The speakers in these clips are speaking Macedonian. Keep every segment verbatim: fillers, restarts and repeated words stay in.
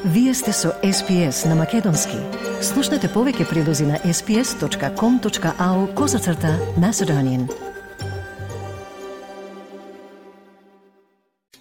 Вие сте со Ес Би Ес на Македонски. Слушнете повеќе прилози на ес би ес точка ком точка ау козацрта Macedonian.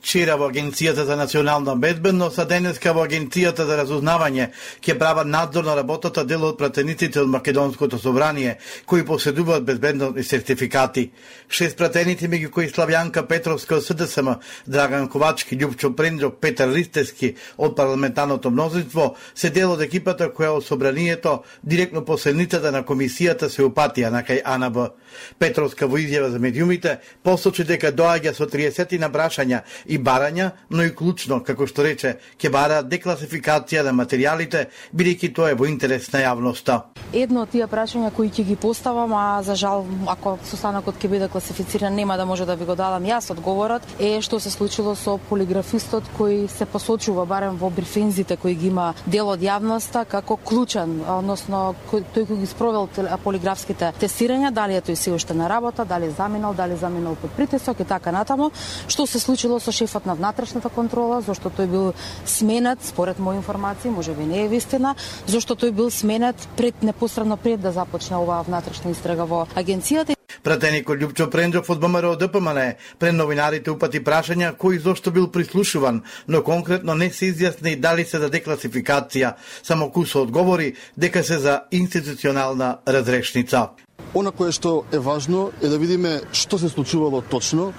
Вчера во Агенцијата за национална безбедност, а денеска во Агенцијата за разузнавање ќе прават надзор на работата дел од пратениците од Македонското собрание, кои поседуваат безбедносни сертификати. Шест пратеници, меѓу кои Славјанка Петровска од С Д С М, Драган Ковачки, Љупчо Пренджок, Петар Ристевски од парламентарното мнозинство, се дел од екипата која од собранието директно по седницата на комисијата се упатија на кај А Н Б. Петровска во изјава за медиумите посочи дека доаѓа со триесет на прашања и барања, но и клучно, како што рече, ќе бара декласификација на материјалите, бидејќи тоа е во интерес на јавноста. Едно од тие прашања кои ќе ги поставам, а за жал, ако состанокот ќе биде класифициран, нема да може да ви го дадам јас одговорот, е што се случило со полиграфистот кој се посочува барем во брифинзите кои ги има дел од јавноста како клучен, односно тој кој ги спровел полиграфските тестирања, дали е тој се уште на работа, дали заминал, дали заминал под притисок и така натаму. Што се случило со шефот на внатрешната контрола, зашто тој бил сменет, според мои информации, може би не е вистина, зашто тој бил сменет пред непосредно пред да започне оваа внатрешна истрага во агенцијата. Пратеникот Љупчо Пренджок од Б М Р Д П М Н пред новинарите упати прашања кој зошто бил прислушуван, но конкретно не се изјасни дали се за декласификација, само Кусо одговори дека се за институционална разрешница. Она кое што е важно е да видиме што се случувало точно,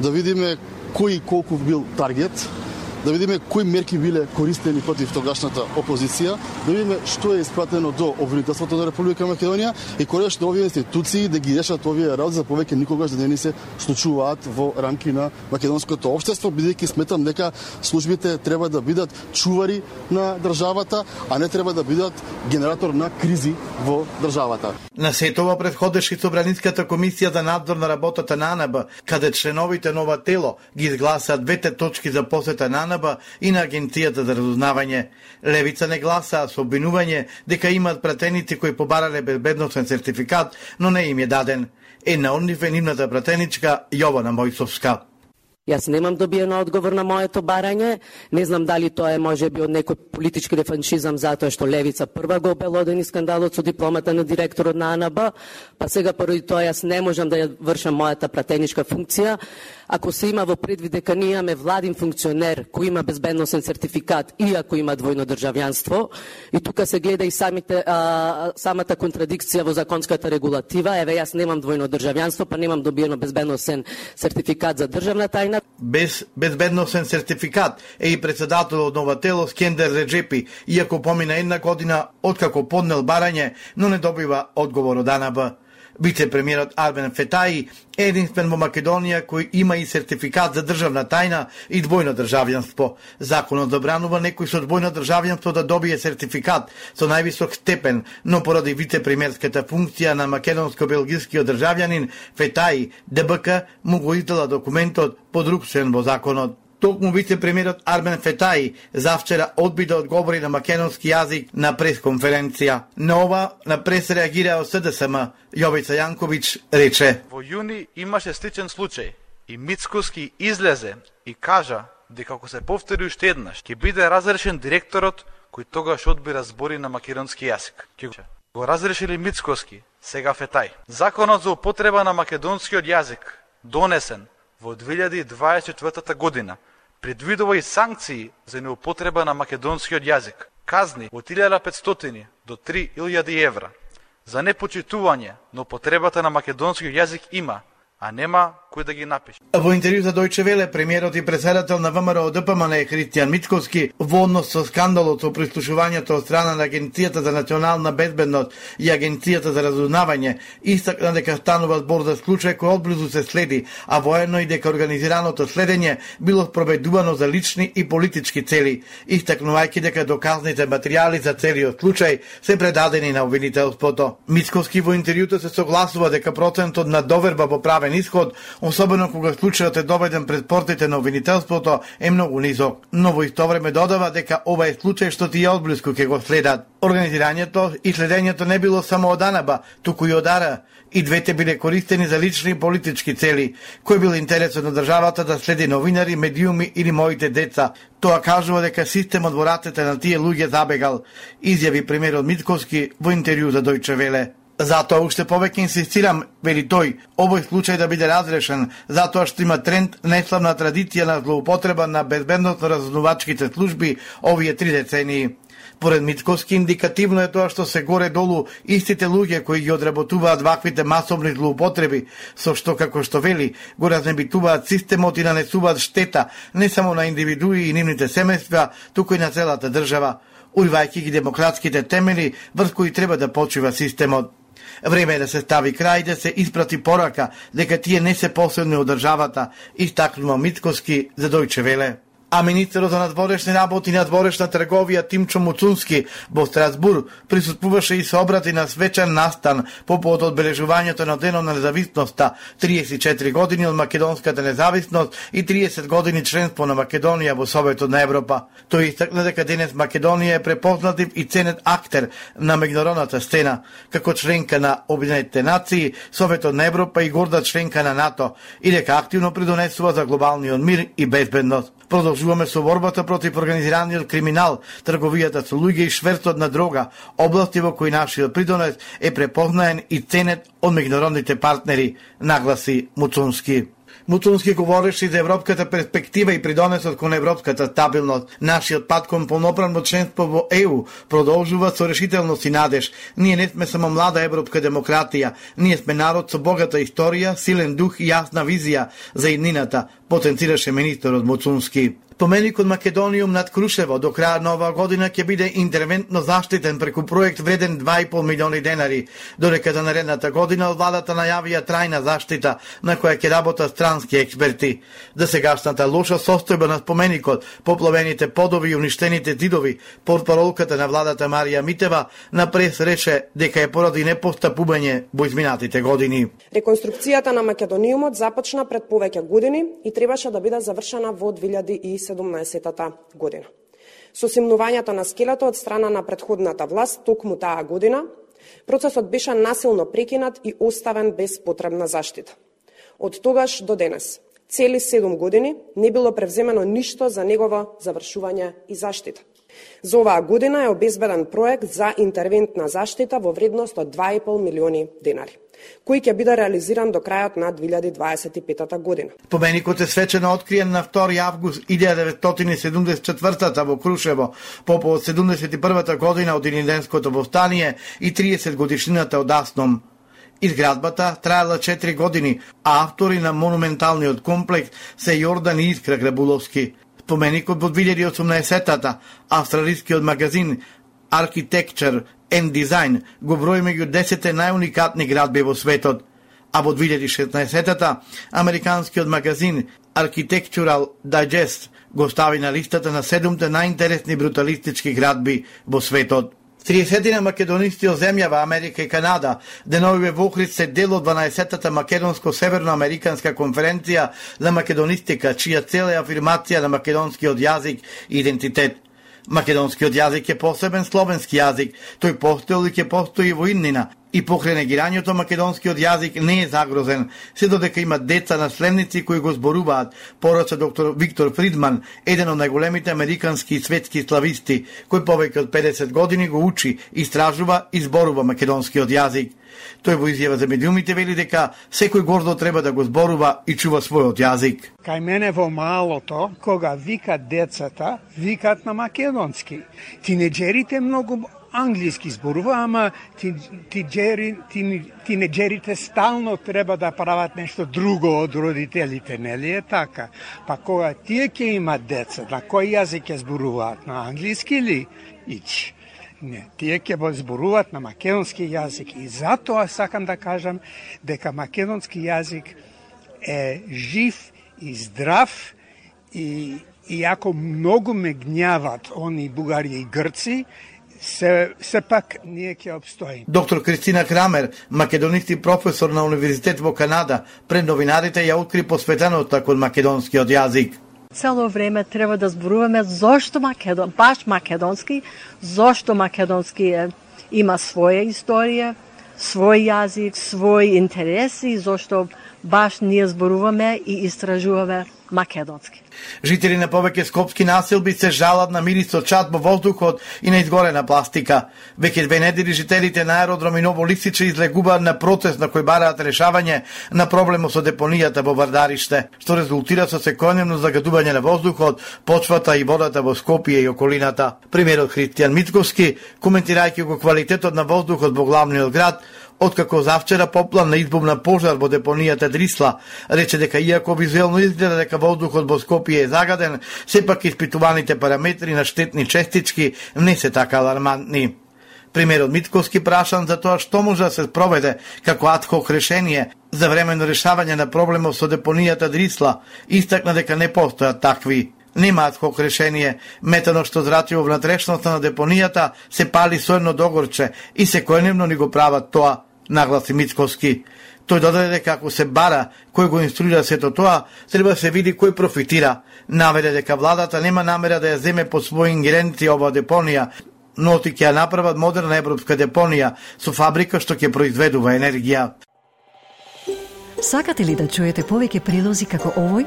да видиме кој колку бил таргет, да видиме кои мерки биле користени против тогашната опозиција, да видиме што е испратено до обвинителството на Република Македонија и конечно овие институции да ги решат овие работи за повеќе никогаш да не ни се случуваат во рамки на македонското општество, бидејќи сметам дека службите треба да бидат чувари на државата, а не треба да бидат генератор на кризи во државата. На сетова претходеше Собраниската комисија за надзор на работата на А Н Б, каде членовите на ова тело ги изгласаа двете точки за посета на А Н Б и на Агенцијата за разузнавање. Левица не гласаа со обвинување дека имаат пратеници кои побарале безбедносен сертификат, но не им е даден. Една од нив е нивната пратеничка Јована Мојсовска. Јас немам добиено одговор на моето барање, не знам дали тоа е можеби од некој политички рефаншизам затоа што Левица прва го обелодени скандалот со дипломата на директорот на А Н Б, па сега поради тоа јас не можам да ја вршам мојата пратеничка функција. Ако се има во предвид дека ние имаме владин функционер кој има безбедносен сертификат и ако има двојно државјанство, и тука се гледа и самите, а, самата контрадикција во законската регулатива, еве јас немам двојно државјанство, па немам добиено безбедносен сертификат за државна тајна. Без безбедносен сертификат е и председател од нова тело Скендер Реджепи, иако помина една година откако поднел барање, но не добива одговор од А Н Б. Вице-премиерот Армен Фетаи е единствен во Македонија кој има и сертификат за државна тајна и двојно државјанство. Законот забранува некој со двојно државјанство да добие сертификат со највисок степен, но поради вице-премиерската функција на македонско-белгискиот државјанин Фетаи, Д Б К му го издала документот под друг член во законот. Токму вице-премиерот Армен Фетаи завчера одби да одговори на македонски јазик на пресконференција. На ова на прес реагира од С Д С М. Јовица Јанковиќ рече: Во јуни имаше сличен случај и Мицкоски излезе и кажа дека ако се повтори уште еднаш ќе биде разрешен директорот кој тогаш одби разбори на македонски јазик. Ќе го разрешили Мицкоски, сега Фетаи. Законот за употреба на македонскиот јазик донесен во две илјади дваесет и четвртата година предвидува и санкции за неупотреба на македонскиот јазик, казни од илјада и петстотини до три илјади евра. За непочитување на употребата на македонскиот јазик има, а нема кој да ги напише. Во интервју за Дојче Веле, премиерот и председател на В М Р Д П М Н Христијан Мицкоски во однос со скандалот со прислушувањето од страна на Агенцијата за национална безбедност и Агенцијата за разузнавање, истакна дека станува збор за случај кој одблизу се следи, а воено и дека организираното следење било спроведувано за лични и политички цели, истакнувајќи дека доказните материјали за целиот случај се предадени на обвинителството. Мицкоски во интервјуто се согласува дека процентот на доверба во правен исход особено кога случајот е доведен пред портите на обвинителството, е многу низок. Но во исто време додава дека ова е случај што тие одблиску ќе го следат. Организирањето и следењето не било само од АНБ, туку и од АР. И двете биле користени за лични и политички цели. Кој бил интересот на државата да следи новинари, медиуми или моите деца? Тоа кажува дека системот во рацете на тие луѓе забегал, изјави премиерот Мицкоски во интервју за Дојче Веле. Затоа уште повеќе инсистирам, вели тој, овој случај да биде разрешен, затоа што има тренд неславна традиција на злоупотреба на безбедносно-разузнавачките служби овие три децении. Поред Мицкоски, индикативно е тоа што се горе-долу истите луѓе кои ги одработуваат ваквите масовни злоупотреби, со што, како што вели, го разнебитуваат системот и нанесуваат штета не само на индивидуи и нивните семејства, туку и на целата држава, уривајќи ги демократските темели врз кои треба да почива системот. Време е да се стави крај, да се испрати порака дека тие не се посебни од државата, истакнува Мицкоски за Дојче Веле. А министерот за надворешни работи и надворешна трговија Тимчо Муцунски во Страсбур присуствуваше и се обрати на свечен настан по повод одбележувањето на денот на независноста, триесет и четири години од македонската независност и триесет години членство на Македонија во Советот на Европа. Тој истакна дека денес Македонија е препознатлив и ценет актер на меѓународната сцена, како членка на Обединетите нации, Советот на Европа и горда членка на НАТО, и дека активно придонесува за глобалниот мир и безбедност. Продолжуваме со борбата против организираниот криминал, трговијата со луѓе и шверцот на дрога, области во кои нашиот придонес е препознаен и ценет од меѓународните партнери, нагласи Муцунски. Муцунски говореше за европската перспектива и придонесот кон европската стабилност. Нашиот пат кон полноправно членство во Е У продолжува со решителност и надеж. Ние не сме само млада европска демократија, ние сме народ со богата историја, силен дух и јасна визија за иднината, потенцираше министерот Муцунски. Споменикот Македониум над Крушево до крај на оваа година ќе биде интервентно заштитен преку проект вреден два и пол милиони денари, додека за наредната година од владата најавија трајна заштита на која ќе работат странски експерти. За сегашната лоша состојба на споменикот, поплавените подови и уништените зидови, портпаролката на владата Марија Митева на прес рече дека е поради непостапување во изминатите години. Реконструкцијата на Македониумот започна пред повеќе години и требаше да биде завршена во две илјади и седумнаесетта година. Со симнувањето на скелето од страна на претходната власт токму таа година, процесот беше насилно прекинат и оставен без потребна заштита. Од тогаш до денес, цели седум години, не било превземено ништо за негово завршување и заштита. За оваа година е обезбеден проект за интервентна заштита во вредност од два и пол милиони денари, кој ќе биде реализиран до крајот на две илјади дваесет и петта година. Споменикот е свечено откриен на втори август илјада деветстотини седумдесет и четвртата во Крушево, по повод седумдесет и првата година од Илинденското повстание и триесет годишнината од Асном. Изградбата траела четири години, а автори на монументалниот комплекс се Јордан и Искра Грабуловски. Споменикот во две илјади и осумнаесетта австралискиот магазин Architecture and Design го брои меѓу десетте најуникатни градби во светот, а во две илјади и шеснаесетта американскиот магазин Architectural Digest го стави на листата на седумте најинтересни бруталистички градби во светот. триесетина македонисти од земјава Америка и Канада деновиве во Охрид се дел од дванаесеттата македонско-северноамериканска конференција за македонистика, чија цел е афирмација на македонскиот јазик и идентитет. Македонскиот јазик е посебен словенски јазик, тој постоел и ќе постои во иднина, и покрај негирањето македонскиот јазик не е загрозен, се додека има деца наследници кои го зборуваат, порача доктор Виктор Фридман, еден од најголемите американски и светски слависти, кој повеќе од педесет години го учи, истражува и зборува македонскиот јазик. Тој во изјава за медиумите вели дека секој гордо треба да го зборува и чува својот јазик. Кај мене во малото, кога викат децата, викат на македонски. Тинеџерите многу англиски зборува, ама тинеџерите стално треба да прават нешто друго од родителите, нели е така? Па кога тие ќе имат деца, на кој јазик ќе зборуваат? На англиски ли? Ич. Не, тие ќе зборуваат на македонски јазик и затоа сакам да кажам дека македонски јазик е жив и здрав и иако многу ме гнјават они бугари и грци, се, се пак ние ќе обстоим. Доктор Кристина Крамер, македонист и професор на Универзитет во Канада, пред новинарите ја откри посветеноста кон македонскиот јазик. Цело време треба да зборуваме зошто македон, баш македонски, зошто македонски е, има своја историја, свој јазик, свој интереси, зошто баш ние зборуваме и истражуваме македонски. Жители на повеќе скопски населби се жалат на мирисот чад во воздухот и на изгорена пластика. Веќе две недели жителите на аеродром и Ново Лисиче излегуваат на протест на кој бараат решавање на проблемот со депонијата во Вардариште, што резултира со секојдневно загадување на воздухот, почвата и водата во Скопје и околината. Премиерот Христијан Мицковски, коментирајќи го квалитетот на воздухот во главниот град, откако завчера поплан на избумна пожар во депонијата Дрисла, рече дека иако визуелно изгледа дека воздухот во Скопје е загаден, сепак испитуваните параметри на штетни честички не се така алармантни. Премиерот Мицковски прашан за тоа што може да се спроведе како адхок решение за временно решавање на проблемот со депонијата Дрисла, истакна дека не постојат такви. Нема адхок решение, метано што зрачево внатрешноста на депонијата се пали со едно догорче и секојдневно ни го прават тоа, нагласи Мицковски. Тој додаде дека ако се бара кој го инструира сето тоа, треба да се види кој профитира. Наведе дека владата нема намера да ја земе под своји ингеренција ова депонија, но ти ќе ја направат модерна европска депонија со фабрика што ќе произведува енергија. Сакате ли да чуете повеќе прилози како овој?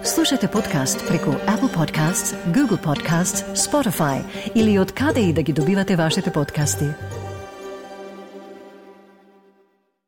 Слушате подкаст преку Apple Podcasts, Google Podcasts, Spotify или од каде и да ги добивате вашите подкасти.